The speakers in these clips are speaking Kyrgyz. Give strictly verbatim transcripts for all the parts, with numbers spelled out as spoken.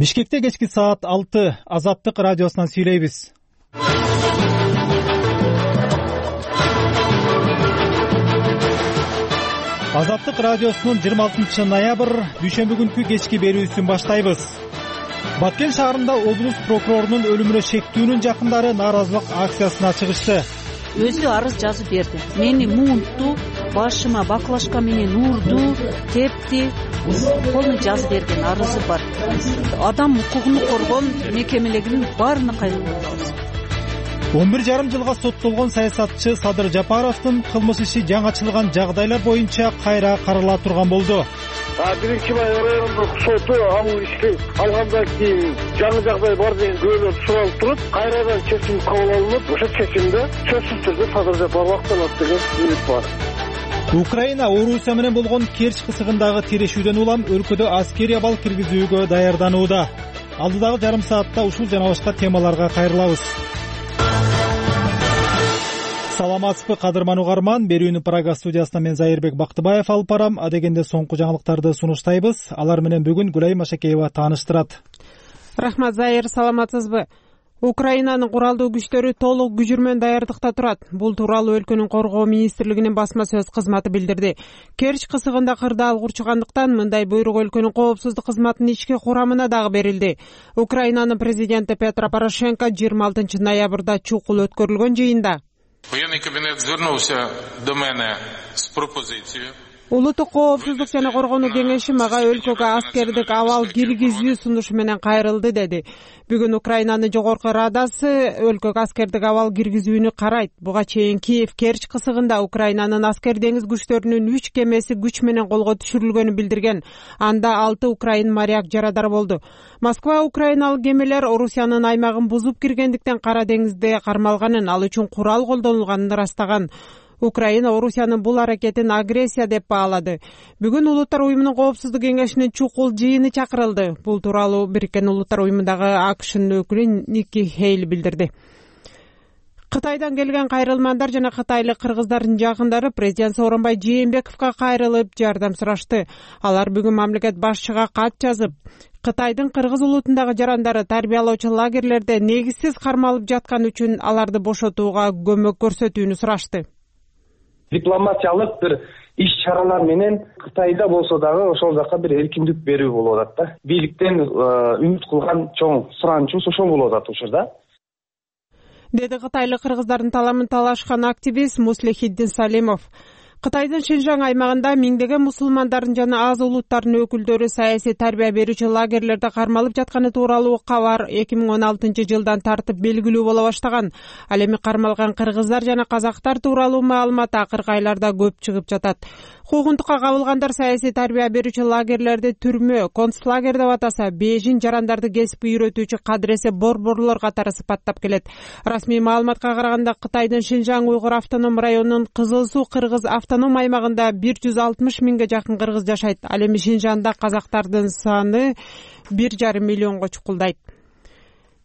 Бишкекте кечки саат алты Азаттык радиосунан сүйлөйбүз. Азаттык радиосунун жыйырма алтынчы ноябрь дүйшөмбү күнкү кечки берүүсүн баштайбыз. Баткен шаарында облус прокурорунун өлүмүнө шектүүнүн жакындары нааразылык акциясына чыгышты. Өзү арыз жазып берди. Мени муунтту, башыма баклажка менен урду, тепти. Колуна жазып берген арызы бар. Адам укугун коргон мекемелеринин баарына кайрылып атабыз. он бир жарым жылга соттолгон саясатчы Садыр Жапаровдун кылмыш иши жаңачылган жагдайлар боюнча кайра карала турган болду. биринчи май райондук соту ал ишти алгандан кийин жаңы жагдай бар деген күбөлөр суралып туруп, кайрадан чечим кабыл алынып, ошо чечимде сөзсүз түрдө Садыр Жапаров акталат деген үмүт бар. Украина Орусия менен болгон Керчь кысыгындагы тирешүүдөн улам өлкөдө аскерий абал киргизүүгө даярданууда. Алдыдагы жарым саатта ушул жана башка темаларга кайрылабыз. Саламатсызбы кадырман угарман, берүүнү Прага студиясынан мен Зайырбек Бактыбаев алып барам. Адегенде соңку жаңылыктарды сунуштайбыз. Алар менен бүгүн Гүлай Машакеева тааныштырат. Рахмат Зайыр, саламатсызбы? Украинанын куралдуу күчтөрү толук күжүрмөн даярдыкта турат. Бул тууралуу өлкөнүн коргоо министрлигинин басма сөз кызматы билдирди. Керчь кысыгында кырдаал курчугандыктан мындай буйрук өлкөнүн коопсуздук кызматынын ички курамына дагы берилди. Украинанын президенти Петро Порошенко жыйырма алтынчы ноябрда чукул өткөрүлгөн жыйында Военный кабинет звернувся до мене с пропозицией. Улуттук коопсуздук жана коргонуу кеңеши мага өлкөгө аскердик абал киргизүү сунушу менен кайрылды деди. Бүгүн Украинанын жогорку радасы өлкөгө аскердик абал киргизүүнү карайт. Буга чейин Киев Керчь кысыгында Украинанын аскер деңиз күчтөрүнүн үч кемеси күч менен колго түшүрүлгөнүн билдирген. Анда алты украин моряк жарадар болду. Москва украиналык кемелер Орусиянын аймагын бузуп киргендиктен Кара деңизде кармалганын, ал үчүн курал колдонулганын ырастаган. Украина Орусиянын бул аракетин агрессия деп баалады. Бүгүн Улуттар уюмунун коопсуздук кеңешинин чукул жыйыны чакырылды. Бул тууралуу Бириккен Улуттар уюмундагы АКШнын өкүлү Ники Хейл билдирди. Кытайдан келген кайрылмандар жана кытайлык кыргыздардын жакындары президент Сооронбай Жээнбековго кайрылып жардам сурашты. Алар бүгүн мамлекет башчыга кат жазып, Кытайдын кыргыз улутундагы жарандары тарбиялоочу лагерлерде негизсиз кармалып жаткан үчүн аларды бошотууга көмөк көрсөтүүнү сурашты. Дипломатиялык бир иш-чаралар менен Кытайда болсо дагы ошол жака бир эркиндик берүү болуп атат да. Бийликтен үмүт кылган чоң суранычыбыз ошол болуп атат учурда. Деди кытайлык кыргыздардын таламын талашкан активист Муслихиддин Салимов. Кытайдын Шинжаң аймагында миңдеген мусулмандардын жана аз улуттардын өкүлдөрү саясий тарбия берүүчү лагерлерде кармалып жатканы тууралуу кабар эки миң он алтынчы жылдан тартып белгилүү боло баштаган. Ал эми кармалган кыргыздар жана казактар тууралуу маалымат акыркы айларда көп чыгып жатат. Куугунтукка кабылгандар саясий тарбия берүүчү лагерлерди түрмө, концлагер деп атаса, бежин жарандарды кесипке үйрөтүүчү кадресе борборлор катары сыпаттап келет. Расмий маалыматка караганда Кытайдын Шинжаң уйгур автоном районунун Кызыл Суу кыргыз автоном аймагында бир жүз алтымыш миңге жакын кыргыз жашайт. Ал эми Шинжаңда казактардын саны бир жарым миллионго чукулдайт.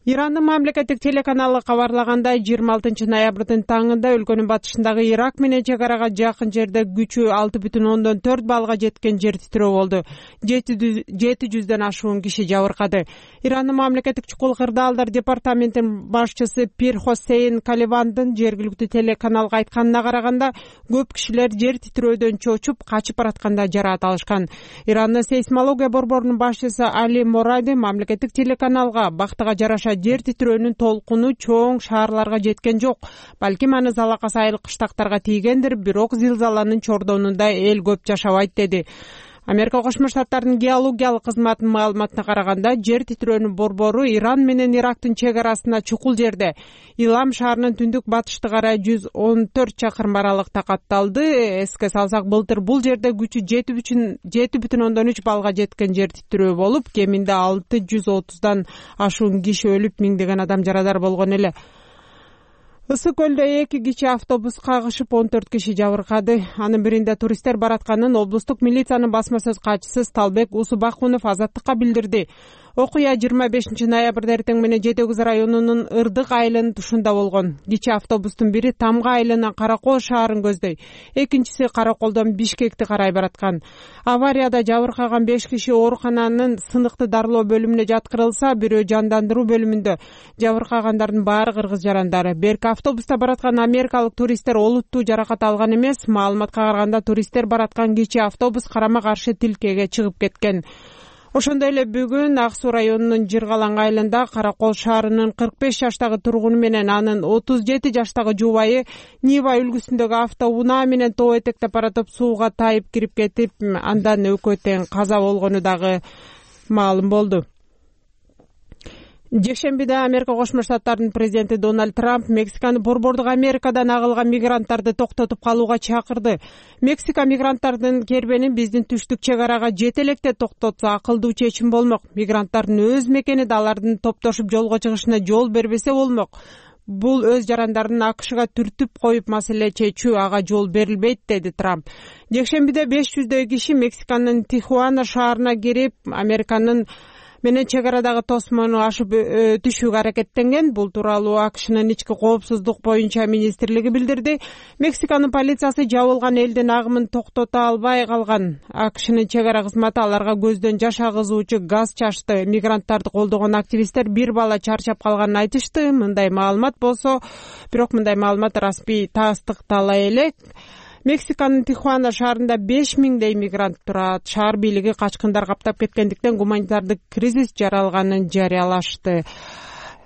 Ирандын мамлекеттик телеканалы кабарлагандай, жыйырма алтынчы ноябрдын таңында өлкөнүн батышындагы Ирак менен чегарага жакын жерде күчү алты бүтүн ондон төрт балга жеткен жер титирөө болду. жети жүздөн ашуун киши жабыркады. Ирандын мамлекеттик чукул кырдаалдар департаментинин башчысы Пир Хосейн Каливандын жергиликтүү телеканалга айтканына караганда, көп кишилер жер титирөөдөн чочуп качып баратканда жараат алышкан. Ирандын сейсмология борборунун башчысы Али Моради мамлекеттик телеканалга бактыга жараша жер титирөөнүн толкуну чоң шаарларга жеткен жок. Балким аны залакас айыл кыштактарга тийгендир, бирок зилзаланын чордонунда эл көп жашабайт деди. Америка Кошмо Штаттарынын геологиялык кызматынын маалыматына караганда, жер титирөөнүн борбору Иран менен Ирактын чегарасына чукул жерде. Илам шаарынын түндүк батышты карай жүз он төрт чакырым аралыкта катталды. Эске салсак, былтыр бул жерде күчү жети бүтүн ондон үч балга жеткен жер титирөө болуп, кеминде алты жүз отуздан ашуун киши өлүп, миңдеген адам жарадар болгон эле. Ысык көлдө эки кичи автобус кагышып он төрт киши жабыркады. Анын биринде туристтер баратканын облустук милициянын басма сөз катчысы Сталбек Усубакунов Азаттыкка билдирди. Окуя жыйырма бешинчи ноябрда эртең менен Жети Өгүз районунун Ырдык айылынын тушунда болгон. Кичи автобустун бири Тамга айылынан Каракол шаарын көздөй, экинчиси Караколдон Бишкекти карай бараткан. Аварияда жабыркаган беш киши оорукананын сыныктуу дарылоо бөлүмүнө жаткырылса, бирөө жандандыруу бөлүмүндө. Жабыркагандардын баары кыргыз жарандары. Берки автобуста бараткан америкалык туристтер олуттуу жаракат алган эмес. Маалыматка караганда туристтер бараткан кичи автобус карама каршы тилкеге чыгып кеткен. Ошондой эле бүгүн Ак Суу районунун Жыргалаң айылында Каракол шаарынын кырк беш жаштагы тургуну менен анын отуз жети жаштагы жубайы Нива үлгүсүндөгү автоунаа менен тоо этектеп баратып сууга тайып кирип кетип, андан экөө тең каза болгону дагы маалым болду. Жекшембиде Америка Кошмо Штаттарынын президенти Дональд Трамп Мексиканы борбордук Америкадан агылган мигранттарды токтотуп калууга чакырды. Мексика мигранттардын кербенин биздин түштүк чек арага жете электе токтотсо акылдуу чечим болмок. Мигранттардын өз мекениде алардын топтошуп жолго чыгышына жол бербесе болмок. Бул өз жарандарын АКШга түртүп коюп маселе чечүү, ага жол берилбейт, деди Трамп. Жекшембиде беш жүздөй киши Мексиканын Тихуана шаарына кирип, Американын менен чек арадагы тосмону ашып түшүүгө аракеттенген. Бул тууралуу АКШнын ички коопсуздук боюнча министрлиги билдирди. Мексиканын полициясы жабылган элдин агымын токтото албай калган. АКШнын чек ара кызматы аларга көздөн жаш агызуучу газ чачты. Мигранттарды колдогон активисттер бир бала чарчап калганын айтышты. Мындай маалымат болсо, бирок мындай маалымат расмий тастыктала элек. Мексиканын Тихуана шаарында беш миңдей мигрант турат. Шаар бийлиги качкындар каптап кеткендиктен гуманитардык кризис жаралганын жарыялашты.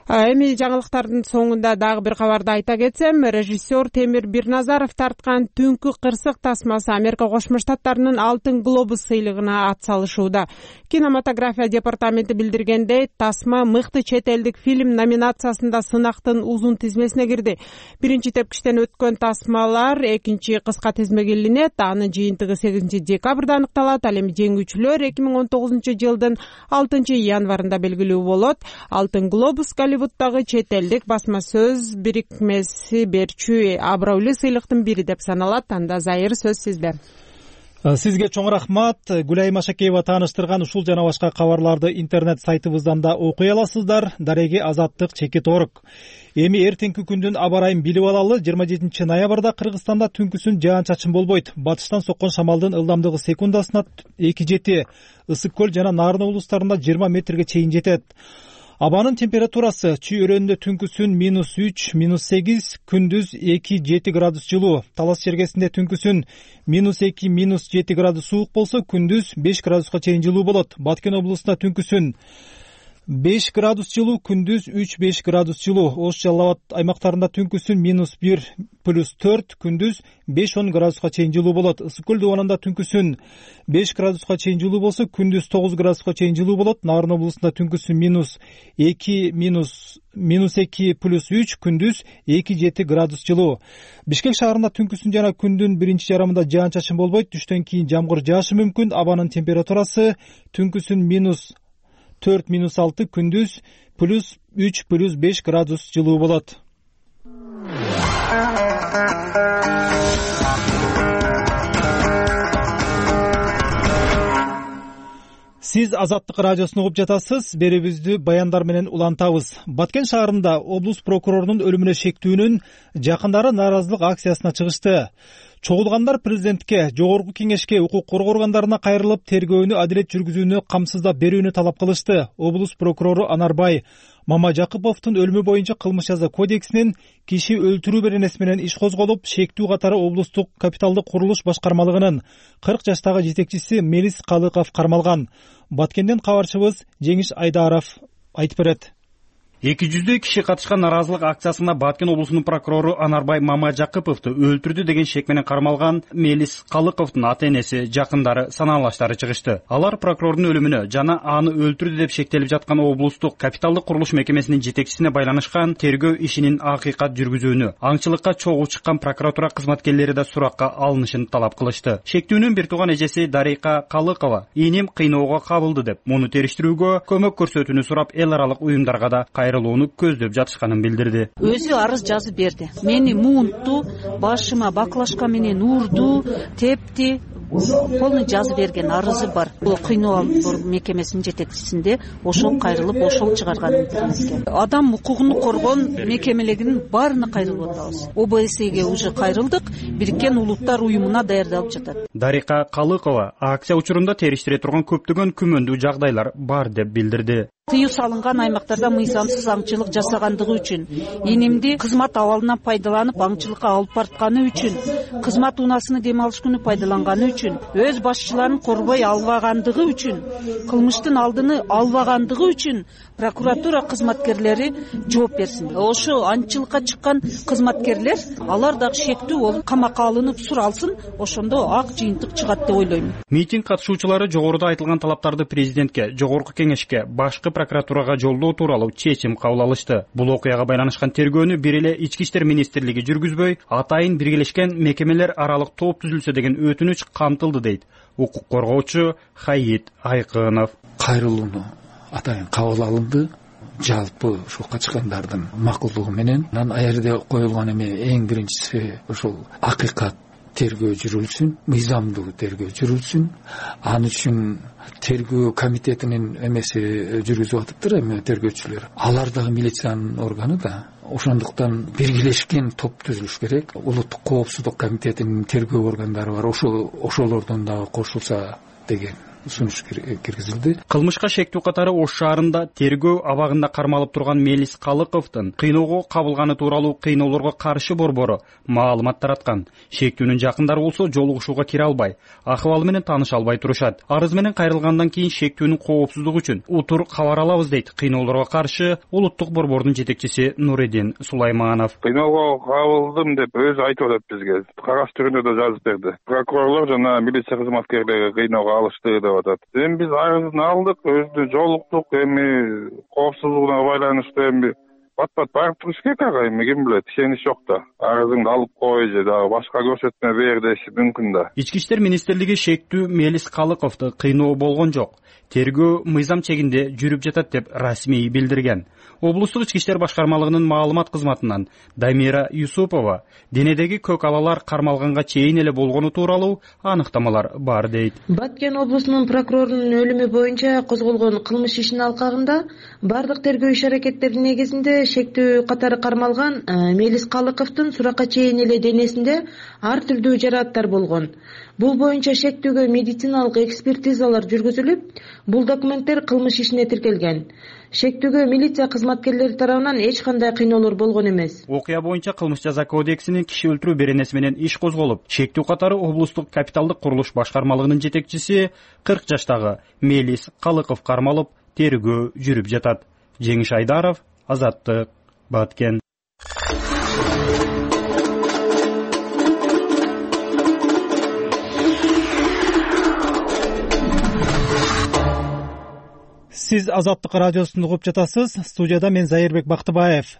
Эми жаңылыктардын соңунда дагы бир кабарды айта кетсем, режиссер Темир Бирназаров тарткан Түнкү кырсык тасмасы Америка Кошмо Штаттарынын Алтын глобус сыйлыгына ат салышууда. Кинематография департаменти билдиргендей, тасма мыкты чет элдик фильм номинациясында сынактын узун тизмесине кирди. Биринчи тепкичтен өткөн тасмалар экинчи кыска тизмеге илинет. Анын жыйынтыгы сегизинчи декабрда аныкталат. Ал эми жеңүүчүлөр эки миң он тогузунчу жылдын алтынчы январында белгилүү болот. Алтын глобус Голливуддагы чет элдик басма сөз бирикмеси берчү абройлуу сыйлыктын бири деп саналат. Анда Зайыр, сөз сизде. Сизге чоң рахмат. Гүлайым Ашакеева тааныштырган ушул жана башка кабарларды интернет сайтыбыздан да окуй аласыздар. Дареги Азаттык чекит орг. Эми эртеңки күндүн аба ырайын билип алалы. жыйырма жетинчи ноябрда Кыргызстанда түнкүсүн жаан-чачын болбойт. Батыштан соккон шамалдын ылдамдыгы секундасына эки жети, Ысык көл жана Нарын облустарында жыйырма метрге чейин жетет. Абанын температурасы Чүй өрөөнүндө түнкүсүн минус үч, минус сегиз, күндүз эки жети градус жылуу. Талас жергесинде түнкүсүн минус эки, минус жети градус суук болсо, күндүз беш градуска чейин жылуу болот. Баткен облусунда түнкүсүн беш градус жылуу, күндүз үч беш градус жылуу. Ош Жалал Абад аймактарында түнкүсүн минус бир, плюс төрт, күндүз беш он градуска чейин жылуу болот. Ысык көл дубанында түнкүсүн беш градуска чейин жылуу болсо, күндүз тогуз градуска чейин жылуу болот. Нарын облусунда түнкүсүн минус эки, минус минус эки, плюс үч, күндүз эки жети градус жылуу. Бишкек шаарында түнкүсүн жана күндүн биринчи жарымында жаан-чачын болбойт. Түштөн кийин жамгыр жаашы мүмкүн. Абанын температурасы түнкүсүн минус төрт, минус алты, күндүз плюс үч, плюс беш градус жылуу болот. Сиз Азаттык радиосун угуп жатасыз. Берүүбүздү баяндар менен улантабыз. Баткен шаарында облус прокурорунун өлүмүнө шектүүнүн жакындары нааразылык акциясына чыгышты. Чогулгандар президентке, жогорку кеңешке, укук коргоо органдарына кайрылып, тергөөнү адилет жүргүзүүнү камсыздап берүүнү талап кылышты. Облус прокурору Анарбай Мамажакыповдун өлүмү боюнча кылмыш жаза кодексинин киши өлтүрүү беренеси менен иш козголуп, шектүү катары облустук капиталдык курулуш башкармалыгынын кырк жаштагы жетекчиси Мелис Калыков кармалган. Баткенден кабарчыбыз Жеңиш Айдаров айтып берет. эки жүздөй киши катышкан нааразылык акциясында Баткен облусунун прокурору Анарбай Мамажакыповду өлтүрдү деген шек менен кармалган Мелис Калыковдун ата-энеси, жакындары, санаалаштары чыгышты. Алар прокурордун өлүмүнө жана аны өлтүрдү деп шектелип жаткан облустук капиталдык курулуш мекемесинин жетекчисине байланышкан тергөө ишинин акыйкат жүргүзүүнү, аңчылыкка чогуу чыккан прокуратура кызматкерлери да суракка алынышын талап кылышты. Шектүүнүн бир тууган эжеси Дарика Калыкова иним кыйноого кабылды деп, муну териштирүүгө көмөк көрсөтүүнү сурап эл аралык уюмдарга да кайрылууну көздөп жатышканын билдирди. Өзү арыз жазып берди. Мени муунтту, башыма баклажка менен урду, тепти, полный жазып берген арызы бар. Бул кыйноо мекемесинин жетекчисинде ошол кайрылып, ошол чыгарган интернетке. Адам укугун коргон мекемелеринин баарына кайрылып атабыз. О Б С Ге уже кайрылдык, Бириккен Улуттар уюмуна даярдалып жатат. Дарика Калыкова акция учурунда териштире турган көптөгөн күмөндүү жагдайлар бар деп билдирди. Тыюу салынган аймактарда мыйзамсыз аңчылык жасагандыгы үчүн, инимди кызмат абалынан пайдаланып аңчылыкка алып бартканы үчүн, кызмат унаасыны дем алыш күнү пайдаланганы үчүн, өз башчыларын корбой албагандыгы үчүн, кылмыштын алдыны албагандыгы үчүн прокуратура кызматкерлери жооп берсин. Ошо аңчылыкка чыккан кызматкерлер алар дагы шектүү болуп камакка алынып суралсын, ошондо ак жыйынтык чыгат деп ойлойм. Митинг катышуучулары жогоруда айтылган талаптарды президентке, жогорку кеңешке, башкы прокуратурага жолдоо тууралуу чечим кабыл алышты. Бул окуяга байланышкан тергөөнү бир эле Ички иштер министрлиги жүргүзбөй, атайын биргелешкен мекемелер аралык топ түзүлсө деген өтүнүч камтылды дейт укук коргоочу Хаит Айкынов. Кайрылууну атайын кабыл алынды. Жалпы ушул качкандардын макулдугу менен анан ал жерде коюлган эме эң биринчиси ошол акыйкат тергөө жүрүлсүн, мыйзамдуу тергөө жүрүлсүн. Ал үчүн тергөө комитетинин эмеси жүргүзүп атыптыр эми тергөөчүлөр. Алар дагы милициянын органы да. Ошондуктан биргелешкен топ түзүлүш керек. Улуттук коопсуздук комитетинин тергөө органдары бар. Ошол ошолордон дагы кошулса деген сунуш киргизилди. Кылмышка шектүү катары Ош шаарында тергөө абагында кармалып турган Мелис Калыковдун кыйноого кабылганы тууралуу кыйноолорго каршы борбору маалымат тараткан. Шектүүнүн жакындары болсо жолугушууга кире албай, ахыбалы менен тааныша албай турушат. Арыз менен кайрылгандан кийин шектүүнүн коопсуздугу үчүн утур кабар алабыз дейт кыйноолорго каршы улуттук борбордун жетекчиси Нуредин Сулайманов. Кыйноого кабылдым деп өзү айтып атат бизге. Кагаз түрүндө да жазып берди. Прокурорлор жана милиция кызматкерлери кыйноого алышты деп атат. Эми биз арызын алдык, өзү жолуктук, эми коопсуздугуна байланыштуу эми бат-бат барып туруш керек ага, эми ким билет, ишенич жок да. Арызыңды алып кой же дагы башка көрсөтмө бер деши мүмкүн да. Ички иштер министрлиги шектүү Мелис Калыковду кыйноо болгон жок, тергөө мыйзам чегинде жүрүп жатат деп расмий билдирген. Облустук ички иштер башкармалыгынын маалымат кызматынан Дамира Юсупова денедеги көк алалар кармалганга чейин эле болгону тууралуу аныктамалар бар дейт. Баткен облусунун прокурорунун өлүмү боюнча козголгон кылмыш ишинин алкагында бардык тергөө иш-аракеттеринин негизинде шектүү катары кармалган Мелис Калыковдун суракка чейин эле денесинде ар түрдүү жарааттар болгон. Бул боюнча шектүүгө медициналык экспертизалар жүргүзүлүп, бул документтер кылмыш ишине тиркелген. Шектүүгө милиция кызматкерлери тарабынан эч кандай кыйноолор болгон эмес. Окуя боюнча кылмыш жаза кодексинин киши өлтүрүү беренеси менен иш козголуп, шектүү катары облустук капиталдык курулуш башкармалыгынын жетекчиси кырк жаштагы Мелис Калыков кармалып, тергөө жүрүп жатат. Жеңиш Айдаров, Азаттык, Баткен. Сиз Азаттык радиосун угуп жатасыз. Студияда мен Зайырбек Бактыбаев.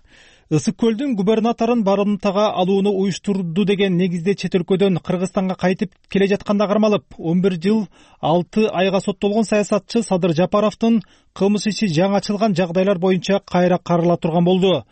Ысык көлдүн губернаторун барымтага алууну уюштурду деген негизде чет өлкөдөн Кыргызстанга кайтып келе жатканда кармалып, он бир жыл алты айга соттолгон саясатчы Садыр Жапаровдун кылмыш иши жаңы ачылган жагдайлар боюнча кайра карыла турган болду.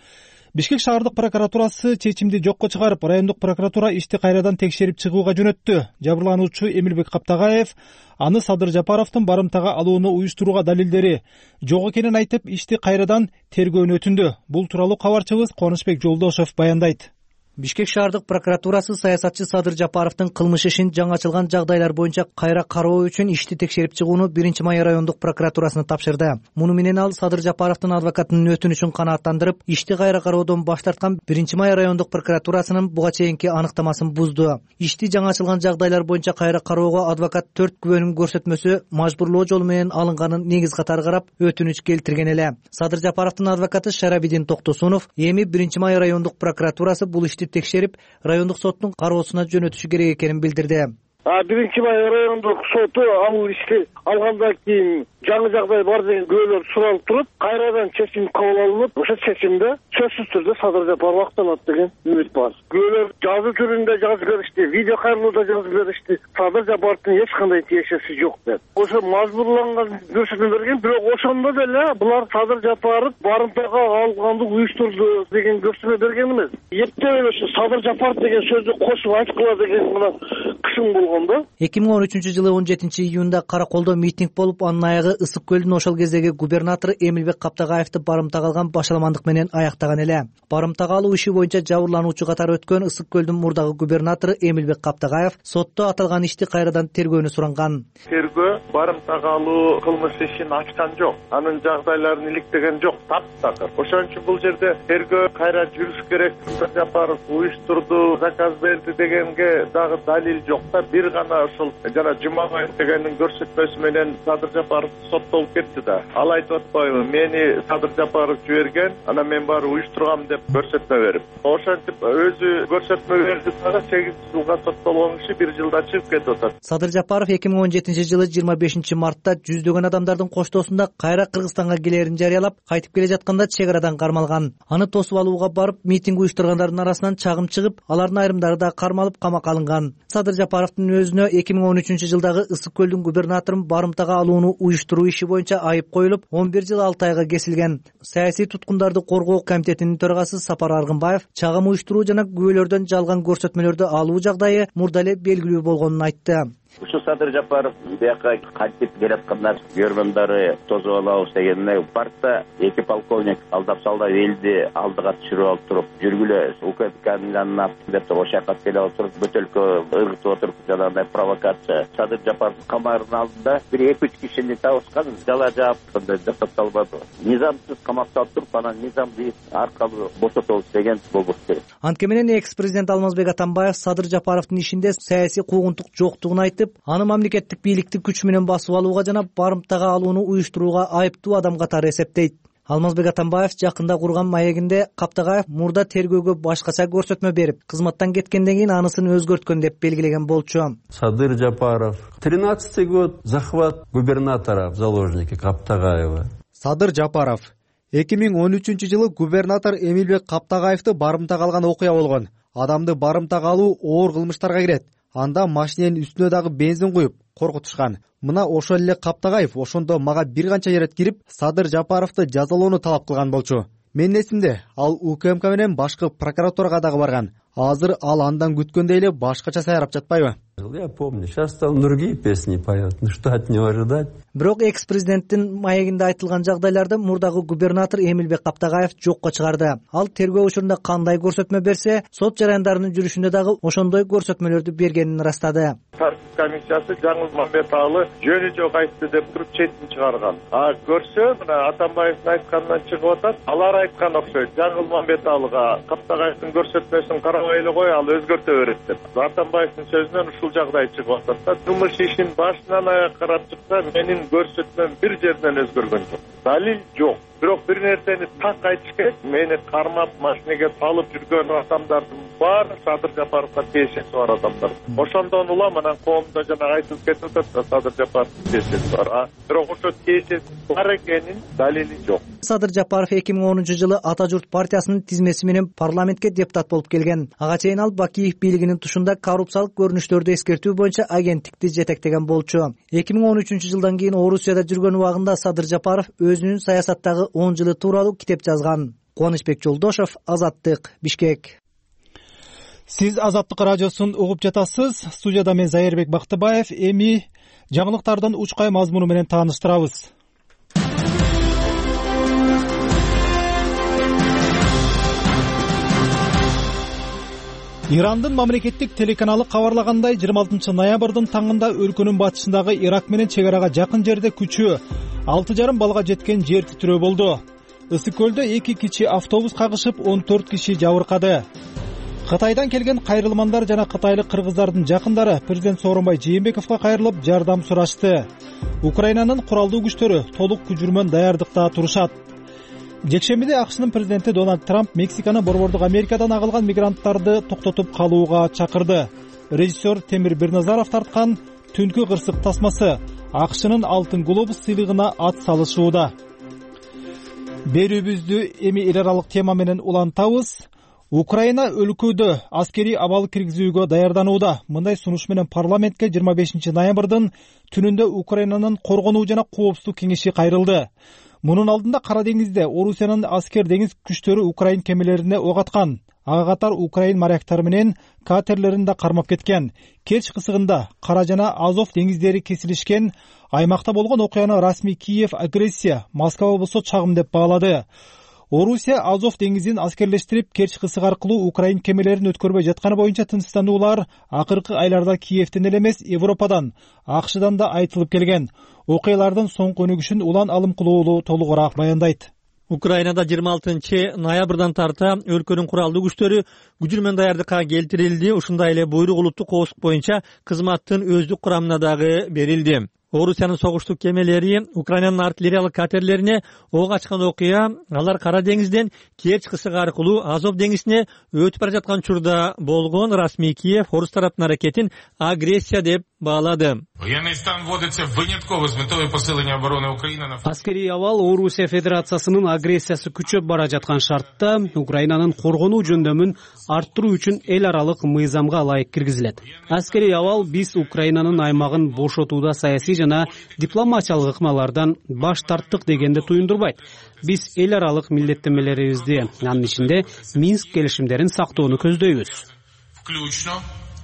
Бишкек шаардык прокуратурасы чечимди жокко чыгарып, райондук прокуратура ишти кайрадан текшерип чыгууга жөнөттү. Жабырлануучу Эмилбек Каптагаев аны Садыр Жапаровдун барымтага алууну уюштурууга далилдери жок экенин айтып, ишти кайрадан тергөөнү өтүндү. Бул тууралуу кабарчыбыз Конушбек Жолдошев баяндайт. Бишкек шаардык прокуратурасы саясатчы Садыр Жапаровдун кылмыш ишин жаңы ачылган жагдайлар боюнча кайра кароо үчүн ишти текшерип чыгууну биринчи май райондук прокуратурасына тапшырды. Муну менен ал Садыр Жапаровдун адвокатынын өтүнүчүн канааттандырып, ишти кайра кароодон баш тарткан биринчи май райондук прокуратурасынын буга чейинки аныктамасын бузду. Ишти жаңы ачылган жагдайлар боюнча кайра кароого адвокат төрт күбөнүн көрсөтмөсү мажбурлоо жолу менен алынганын негиз катары карап, өтүнүч келтирген эле. Садыр Жапаровдун адвокаты Шарабидин Токтосунов эми биринчи май райондук прокуратурасы бул ишти текшерип, райондук соттун кароосуна жөнөтүшү керек экенин билдирди. биринчи май райондук соту ал ишти алгандан кийин жаңы жагдай бар деген күбөлөр суралып туруп, кайрадан чечим кабыл алынып, ошо чечимде сөзсүз түрдө Садыр Жапаров акталат деген үмүт бар. Күбөлөр жазуу түрүндө жазып беришти, видео кайрылууда жазып беришти. Садыр Жапаровдун эч кандай тиешеси жок деп. Ошо мажбурланган көрсөтмө берген, бирок ошондо деле булар Садыр Жапаров барымтага алганды уюштурду деген көрсөтмө берген эмес. Эптеп эле Садыр Жапаров деген сөздү кошуп айткыла деген мына кысым болгон. болгондо эки миң он үчүнчү жылы он жетинчи июнда Караколдо митинг болуп, анын аягы Ысык көлдүн ошол кездеги губернатору Эмилбек Каптагаевди барымтага алган башаламандык менен аяктаган эле. Барымтага алуу иши боюнча жабырлануучу катары өткөн Ысык көлдүн мурдагы губернатору Эмилбек Каптагаев сотто аталган ишти кайрадан тергөөнү суранган. Тергөө барымтага алуу кылмыш ишин ачкан жок, анын жагдайларын иликтеген жок, таптакыр. Ошон үчүн бул жерде тергөө кайра жүрүш керек. Садыр Жапаров уюштурду, заказ берди дегенге дагы далил жок да. Бир гана ошол жана Жумабаев дегендин көрсөтмөсү менен Садыр Жапаров соттолуп кетти да. Ал айтып атпайбы, мени Садыр Жапаров жиберген, анан мен баары уюштургам деп көрсөтмө берип. Ошентип өзү көрсөтмө берди дагы сегиз жылга соттолгон киши бир жылда чыгып кетип атат. Садыр Жапаров эки миң он жетинчи жылы жыйырма бешинчи мартта жүздөгөн адамдардын коштоосунда кайра Кыргызстанга келерин жарыялап, кайтып келе жатканда чек арадан кармалган. Аны тосуп алууга барып, митинг уюштургандардын арасынан чагым чыгып, алардын айрымдары да кармалып камакка алынган. Садыр Жапаровдун өзүнө эки миң он үчүнчү жылдагы Ысык көлдүн губернаторун барымтага алууну уюштуруу иши боюнча айып коюлуп, он бир жыл алты айга кесилген. Саясий туткундарды коргоо комитетинин төрагасы Сапар Аргынбаев чагым уюштуруу жана күбөлөрдөн жалган көрсөтмөлөрдү алуу жагдайы мурда эле белгилүү болгонун айтты. Ушу Садыр Жапаров бияка кайтып келатканда көргөндөрү тосуп алабыз дегенде паркта эки полковник алдап салдап элди алдыга түшүрүп алып туруп жүргүлө УКМКнын жанына деп ошол жака келип отуруп бөтөлкө ыргытып отуруп жанагындай провокация. Садыр Жапаров камеранын алдында бир эки үч кишини табышкан, жала жаап андай жасап салбады. Низамсыз камакта отуруп, анан низамды аркалуу бошотобуз деген болбош керек. Анткени менен экс-президент Алмазбек Атамбаев Садыр Жапаровдун ишинде саясий куугунтук жоктугун айтып, аны мамлекеттик бийликти күч менен басып алууга жана барымтага алууну уюштурууга айыптуу адам катары эсептейт. Алмазбек Атамбаев жакында курган маегинде Каптагаев мурда тергөөгө башкача көрсөтмө берип, кызматтан кеткенден кийин анысын өзгөрткөн деп белгилеген болчу. Садыр Жапаров, тринадцатый год захват губернатора в заложники Каптагаева. Садыр Жапаров эки миң он үчүнчү жылы губернатор Эмилбек Каптагаевди барымтага алган окуя болгон. Адамды барымтага алуу оор кылмыштарга кирет. Анда машиненин үстүнө дагы бензин куюп коркутушкан. Мына ошол эле Каптагаев ошондо мага бир канча ирет кирип, Садыр Жапаровду жазалоону талап кылган болчу. Менин эсимде, ал УКМК менен башкы прокуратурага дагы барган. Азыр ал андан күткөндөй эле башкача сайрап жатпайбы? Я помню, сейчас там другие песни поет. Ну что от него ожидать? Бирок экс-президенттин маегинде айтылган жагдайларды мурдагы губернатор Эмилбек Каптагаев жокко чыгарды. Ал тергөө учурунда кандай көрсөтмө берсе, сот жарандарынын жүрүшүндө дагы ошондой көрсөтмөлөрдү бергенин ырастады. Тартип комиссиясы Жаңыл Мамбеталы жөнү жок айтты деп туруп четин чыгарган. А көрсө, мына Атамбаевдин айтканынан чыгып атат. Алар айткан окшойт. Жаңыл Мамбеталыга Каптагаевдин көрсөтмөсүн карабай эле кой, ал өзгөртө берет деп. Атамбаевдин сөзүнөн ушул жагдай чыгып атат да. Кылмыш ишин башынан аяк карап чыкса, менин көрсөтмөм бир жерден өзгөргөн жок. Далил жок. Бирок бир нерсени так айтыш керек. Мени кармап машинеге салып жүргөн адамдардын баары Садыр Жапаровго тиешеси бар адамдар. Ошондон улам анан коомдо жана айтылып кетип атат, Садыр Жапаровдун тиешеси бар. А бирок ошо тиешеси бар экенин далили жок. Садыр Жапаров эки миң онунчу жылы Ата журт партиясынын тизмеси менен парламентке депутат болуп келген. Ага чейин ал Бакиев бийлигинин тушунда коррупциялык көрүнүштөрдү эскертүү боюнча агенттикти жетектеген болчу. эки миң он үчүнчү жылдан кийин Орусияда жүргөн убагында Садыр Жапаров өзүнүн саясаттагы он жылы тууралуу китеп жазган. Кубанычбек Жолдошов, Азаттык, Бишкек. Сиз Азаттык радиосун угуп жатасыз. Студияда мен Зайырбек Бактыбаев. Эми жаңылыктардын учкай мазмуну менен тааныштырабыз. Ирандын мамлекеттик телеканалы кабарлагандай, жыйырма алтынчы ноябрдын таңында өлкөнүн батышындагы Ирак менен чек арага жакын жерде күчү алты жарым балга жеткен жер титирөө болду. Ысык көлдө эки кичи автобус кагышып, он төрт киши жабыркады. Кытайдан келген кайрылмандар жана кытайлык кыргыздардын жакындары президент Сооронбай Жээнбековго кайрылып, жардам сурашты. Украинанын куралдуу күчтөрү толук күчүрмөн даярдыкта турушат. Жекшембиде АКШнын президенти Дональд Трамп Мексиканы борбордук Америкадан агылган мигранттарды токтотуп калууга чакырды. Режиссер Темир Бирназаров тарткан Түнкү кырсык тасмасы АКШнын Алтын глобус сыйлыгына ат салышууда. Берүүбүздү эми эл аралык тема менен улантабыз. Украина өлкөдө аскерий абал киргизүүгө даярданууда. Мындай сунуш менен парламентке жыйырма бешинчи ноябрдын түнүндө Украинанын коргонуу жана коопсуздук кеңеши кайрылды. Мунун алдында Кара деңизде Орусиянын аскер деңиз күчтөрү Украин кемелерине ок аткан. ага катар украин моряктары менен катерлерин да кармап кеткен. Керчь кысыгында Кара жана Азов деңиздери кесилишкен аймакта болгон окуяны расмий Киев агрессия, Москва болсо чагым деп баалады. Орусия Азов деңизин аскерлештирип, Керчь кысыгы аркылуу украин кемелерин өткөрбөй жатканы боюнча тынчсыздануулар акыркы айларда Киевден эле эмес, Европадан, АКШдан да айтылып келген. Окуялардын соңку өнүгүшүн Улан Алымкулуулу толугураак баяндайт. Украинада жыйырма алтынчы ноябрдан тарта өлкөнүн куралдуу күчтөрү күжүрмөн даярдыкка келтирилди. Ушундай эле буйрук улуттук коопсуздук боюнча кызматтын өздүк курамына дагы берилди. Орусиянын согуштук кемелери Украинанын артиллериялык катерлерине ок ачкан окуя алар Кара деңизден Керчь кысыгы аркылуу Азов деңизине өтүп бара жаткан учурда болгон. Расмий Киев орус тараптын аракетин агрессия деп баалады. Аскерий абал Орусия Федерациясынын агрессиясы күчөп бара жаткан шартта Украинанын коргонуу жөндөмүн арттыруу үчүн эл аралык мыйзамга ылайык киргизилет. Аскерий абал биз Украинанын аймагын бошотууда саясий жана дипломатиялык ыкмалардан баш тарттык дегенди туюндурбайт. Биз эл аралык милдеттенмелерибизди, анын ичинде Минск келишимдерин сактоону көздөйбүз.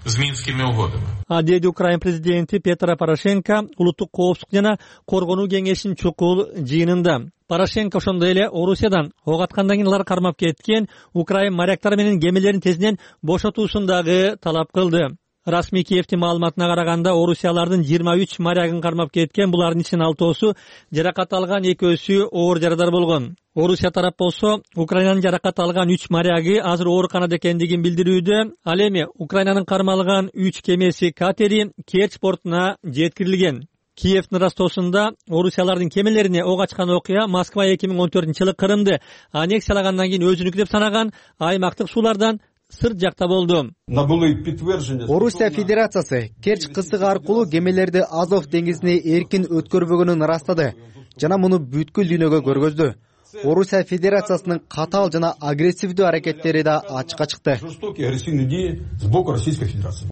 С минскими угодами. А деди Украин президенти Петро Порошенко улуттук коопсуздук жана коргонуу кеңешинин чукул жыйынында. Порошенко ошондой эле Орусиядан ок аткандан кийин алар кармап кеткен Украин моряктары менен кемелерин тезинен бошотуусун дагы талап кылды. Расмий Киевдин маалыматына караганда Орусиялардын жыйырма үч морягын кармап кеткен. Булардын ичинен алтоосу жаракат алган, экөөсү оор жарадар болгон. Орусия тарап болсо Украинанын жаракат алган үч моряги азыр ооруканада экендигин билдирүүдө. Ал эми Украинанын кармалган үч кемеси катери Керчь портуна жеткирилген. Киевдин Ростосунда Орусиялардын кемелерине ок ачкан окуя Москва эки миң он төртүнчү жылы Крымды аннексиялагандан кийин өзүнүкү деп санаган аймактык суулардан сырт жакта болду. Орусия Федерациясы Керчь кысыгы аркылуу кемелерди Азов деңизине эркин өткөрбөгөнүн ырастады жана муну бүткүл дүйнөгө көргөздү. Орусия Федерациясынын катаал жана агрессивдүү аракеттери да ачыкка чыкты.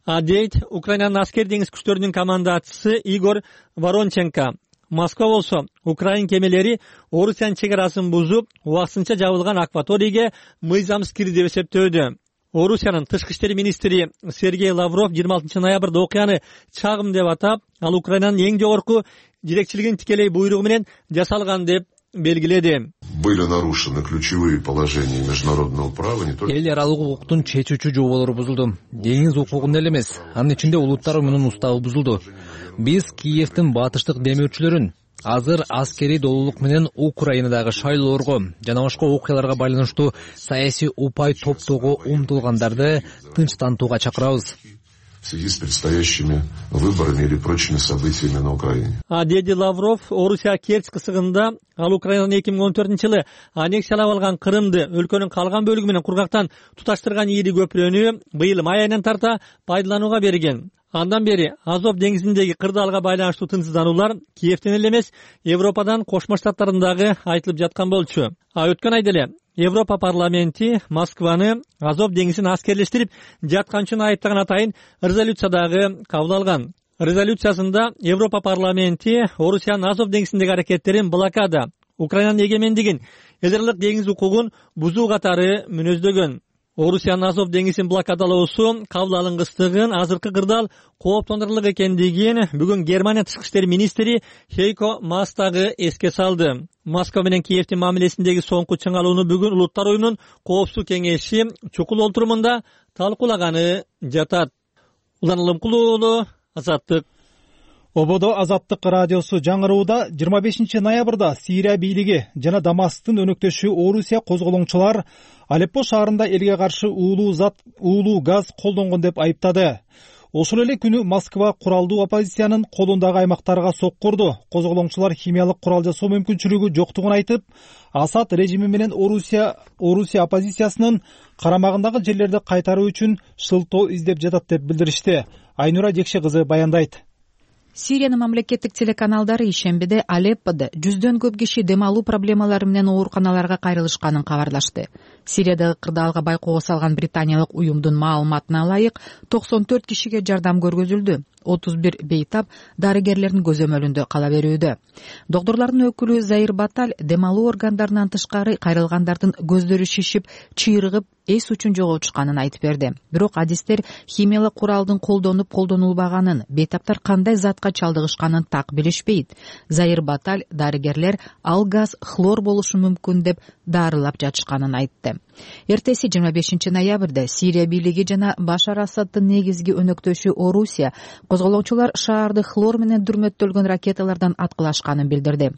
А дейт Украинанын аскер деңиз күчтөрүнүн командачысы Игорь Воронченко. Москва болсо Украин кемелери Орусиянын чек арасын бузуп, убактысынча жабылган акваторийге мыйзамсыз кирди деп эсептөөдө. Орусиянын тышкы иштер министри Сергей Лавров жыйырма алтынчы ноябрда окуяны чагым деп атап, ал Украинанын эң жогорку жетекчилигинин тикелей буйругу менен жасалган деп белгиледи. Были нарушены ключевые положения международного права не только. Эл аралык укуктун чечүүчү жоболору бузулду. Деңиз укугунда эле эмес, анын ичинде улуттар уюмунун уставы бузулду. Биз Киевдин батыштык демөөрчүлөрүн азыр аскерий долуулук менен Украинадагы шайлоорго жана башка окуяларга байланыштуу саясий упай топтоого умтулгандарды тынчтантууга чакырабыз. В связи с предстоящими выборами или прочими событиями на Украине. А деди Лавров Орусия Керчь кысыгында ал Украинанын эки миң он төртүнчү жылы аннексиялап алган Крымды өлкөнүн калган бөлүгү менен кургактан туташтырган ийри көпүрөнү быйыл май айынан тарта пайдаланууга берген. Андан бери Азов деңизиндеги кырдаалга байланыштуу тынчсыздануулар Киевден эле эмес, Европадан Кошмо Штаттардан дагы айтылып жаткан болчу. А өткөн айда эле Европа парламенти Москваны Азов деңизин аскерлештирип жаткан үчүн айыптаган атайын резолюция дагы кабыл алган. Резолюциясында Европа парламенти Орусиянын Азов деңизиндеги аракеттерин блокада, Украинанын эгемендигин, эдерлик деңиз укугун бузуу катары мүнөздөгөн. Орусиянын Азов деңизин блокадалоосу кабыл алынгыстыгын, азыркы кырдаал кооптондурарлык экендигин бүгүн Германия тышкы иштер министри Хейко Маас дагы эске салды. Москва менен Киевдин мамилесиндеги соңку чыңалууну бүгүн Улуттар уюмунун коопсуздук кеңеши чукул олтурумунда талкуулаганы жатат. Улан Алымкулуулу, Азаттык. Ободо Азаттык радиосу жаңырууда жыйырма бешинчи ноябрда Сирия бийлиги жана Дамасктын өнөктөшү Орусия козголоңчулар Алеппо шаарында элге каршы уулуу зат, уулуу газ колдонгон деп айыптады. Ошол эле күнү Москва куралдуу оппозициянын колундагы аймактарга соккурду. Козголоңчулар химиялык курал жасоо мүмкүнчүлүгү жоктугун айтып, Асад режими менен Орусия Орусия оппозициясынын карамагындагы жерлерди кайтаруу үчүн шылтоо издеп жатат деп билдиришти. Айнура Жекше кызы баяндайт. Сириянын мамлекеттик телеканалдары ишембиде Алеппода жүздөн көп киши дем алуу проблемалары менен ооруканаларга кайрылышканын кабарлашты. Сириядагы кырдаалга байкоого салган британиялык уюмдун маалыматына ылайык токсон төрт кишиге жардам көргөзүлдү. отуз бир бейтап дарыгерлердин көзөмөлүндө кала берүүдө. Доктурлардын өкүлү Заир Баталь дем алуу органдарынан тышкары кайрылгандардын көздөрү шишип, чыйрыгып, эс учун жоготушканын айтып берди. Бирок адистер химиялык куралдын колдонуп колдонулбаганын, бейтаптар кандай затка чалдыгышканын так билишпейт. Заир Баталь дарыгерлер ал газ хлор болушу мүмкүн деп дарылап жатышканын айтты. Эртеси жыйырма бешинчи ноябрда Сирия бийлиги жана Башар Асаддын негизги өнөктөшү Орусия козголоочулар шаарды хлор менен дүрмөттөлгөн ракеталардан аткылашканын билдирди.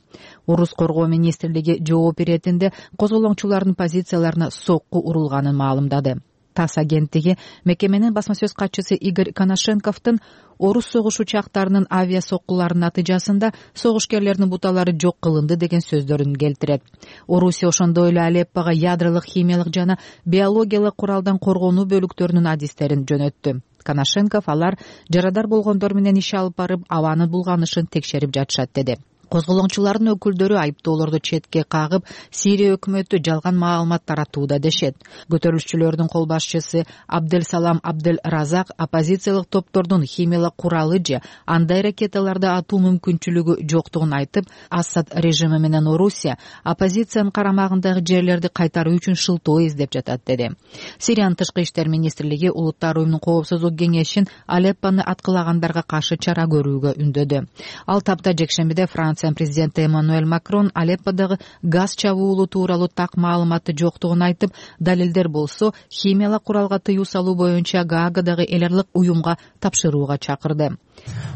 Орус коргоо министрлиги жооп беретинде козголоочулардын позицияларына сокку урулганын маалымдады. ТАСС агенттиги мекеменин басма сөз катчысы Игорь Коношенковдун орус согуш учактарынын авиа соккуларынын натыйжасында согушкерлердин буталары жок кылынды деген сөздөрүн келтирет. Орусия ошондой эле Алеппого ядролук, химиялык жана биологиялык куралдан коргонуу бөлүктөрүнүн адистерин жөнөттү. Коношенков алар жарадар болгондор менен иш алып барып, абанын булганышын текшерип жатышат деди. Козголоочулардын өкүлдөрү айыптоолорду четке кагып, Сирия өкмөтү жалган маалымат таратууда дешет. Көтөрүлүшчүлөрдүн кол башчысы Абдель Салам Абдель Разак оппозициялык топтордун химиялык куралы же андай ракеталарды атуу мүмкүнчүлүгү жоктугун айтып, Асад режими менен Орусия оппозициянын карамагындагы жерлерди кайтаруу үчүн шылтоо издеп жатат деди. Сириянын тышкы иштер министрлиги Улуттар уюмунун коопсуздук кеңешин Алеппону аткылагандарга каршы чара көрүүгө үндөдү. Ал тапта жекшембиде Франция президенти Эммануэль Макрон Алепподогу газ чабуулу тууралуу так маалыматы жоктугун айтып, далилдер болсо химиялык куралга тыюу салуу боюнча Гаагадагы эл аралык уюмга тапшырууга чакырды.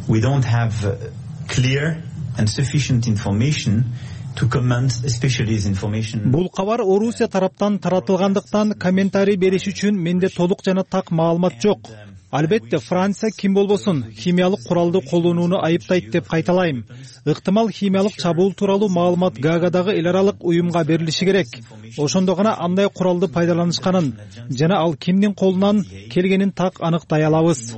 We don't have clear and sufficient information to comment, especially this information. Бул кабар Орусия тараптан таратылгандыктан комментарий бериш үчүн менде толук жана так маалымат жок. Албетте, Франция ким болбосун химиялык куралды колдонууну айыптайт деп кайталайм. Ыктымал химиялык чабуул тууралуу маалымат Гаагадагы эл аралык уюмга берилиши керек. Ошондо гана андай куралды пайдаланышканын жана ал кимдин колунан келгенин так аныктай алабыз.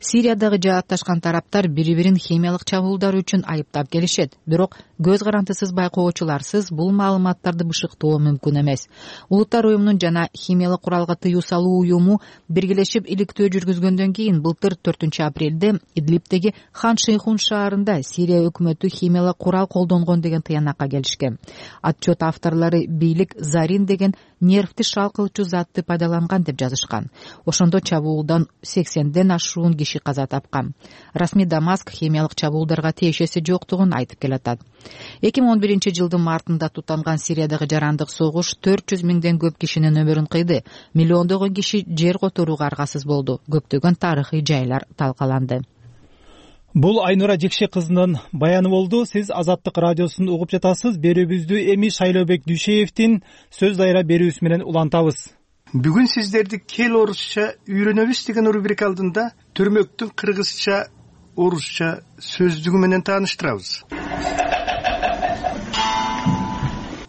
Сириядагы жаатташкан тараптар бири-бирин химиялык чабуулдар үчүн айыптап келишет. Бирок көз карандысыз байкоочуларсыз бул маалыматтарды бышыктоо мүмкүн эмес. Улуттар уюмунун жана химиялык куралга тыюу салуу уюму биргелешип иликтөө жүргүзгөндөн кийин былтыр төртүнчү апрелде Идлибтеги Хан Шейхун шаарында Сирия өкмөтү химиялык курал колдонгон деген тыянакка келишкен. Отчет авторлору бийлик Зарин деген нервти шалкылчу затты пайдаланган деп жазышкан. Ошондо чабуулдан сексенден ашуун киши каза тапкан. Расмий Дамаск химиялык чабуулдарга тиешеси жоктугун айтып келатат. эки миң он биринчи жылдын мартында тутанган Сириядагы жарандык согуш төрт жүз миңден көп кишинин өмүрүн кыйды. Миллиондогон киши жер которууга аргасыз болду. Көптөгөн тарыхый жайлар талкаланды. Бул Айнура Жекше кызынын баяны болду. Сиз Азаттык радиосун угуп жатасыз. Берүүбүздү эми Шайлообек Дүйшеевдин сөз дайра берүүсү менен улантабыз. Бүгүн сиздерди кел орусча үйрөнөбүз деген рубрика алдында Төрмөктүн кыргызча, орусча сөздүгү менен тааныштырабыз.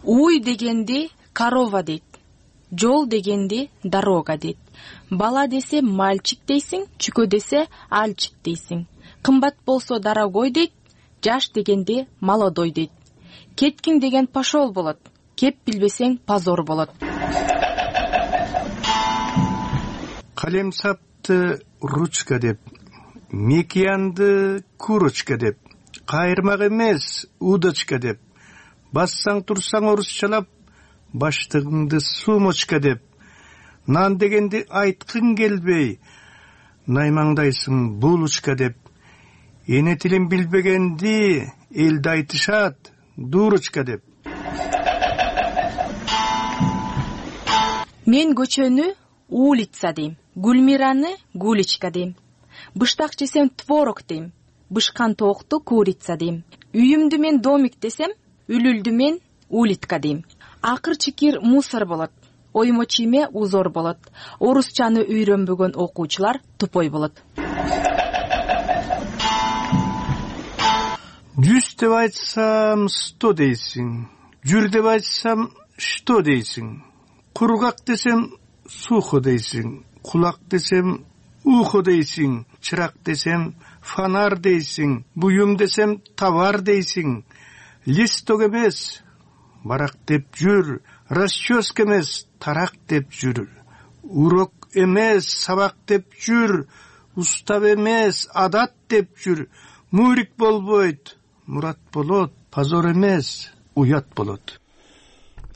Уй дегенди корова дейт. Жол дегенди дорога дейт. Бала десе мальчик дейсиң, чүкө десе альчик дейсиң. Кымбат болсо дорогой дейт, жаш дегенди молодой дейт. Кеткиң деген пошол болот, кеп билбесең позор болот. Калем сапты ручка деп, мекиянды курочка деп, кайырмак эмес удочка деп, бассаң турсаң орусчалап, баштыгыңды сумочка деп, нан дегенди айткың келбей, наймаңдайсың булочка деп, эне тилин билбегенди элде айтышат дурочка деп. Мен көчөнү улица дейм, Гүлмираны гуличка дейм. Быштак жесем творог дейм, бышкан тоокту курица дейм. Үйүмдү мен домик десем, үлүлдү мен улитка дейм. Акыр чикир мусор болот, оймо чийме узор болот. Орусчаны үйрөнбөгөн окуучулар тупой болот. Жүз деп айтсам сто дейсиң, жүр деп айтсам что дейсиң, кургак десем сухо дейсиң, кулак десем ухо дейсиң, чырак десем фонар дейсиң, буюм десем товар дейсиң, листок эмес барак деп жүр, расческа эмес тарак деп жүр, урок эмес сабак деп жүр, устав эмес адат деп жүр. Мурик болбойт, мурат болот, позор эмес уят болот.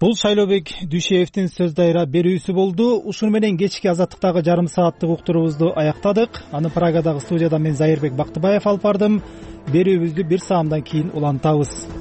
Бул Шайлообек Дүйшеевдин сөз дайра берүүсү болду. Ушуну менен кечки Азаттыктагы жарым сааттык уктуруубузду аяктадык. Аны Прагадагы студияда мен Зайырбек Бактыбаев алып бардым. Берүүбүздү бир саамдан кийин улантабыз.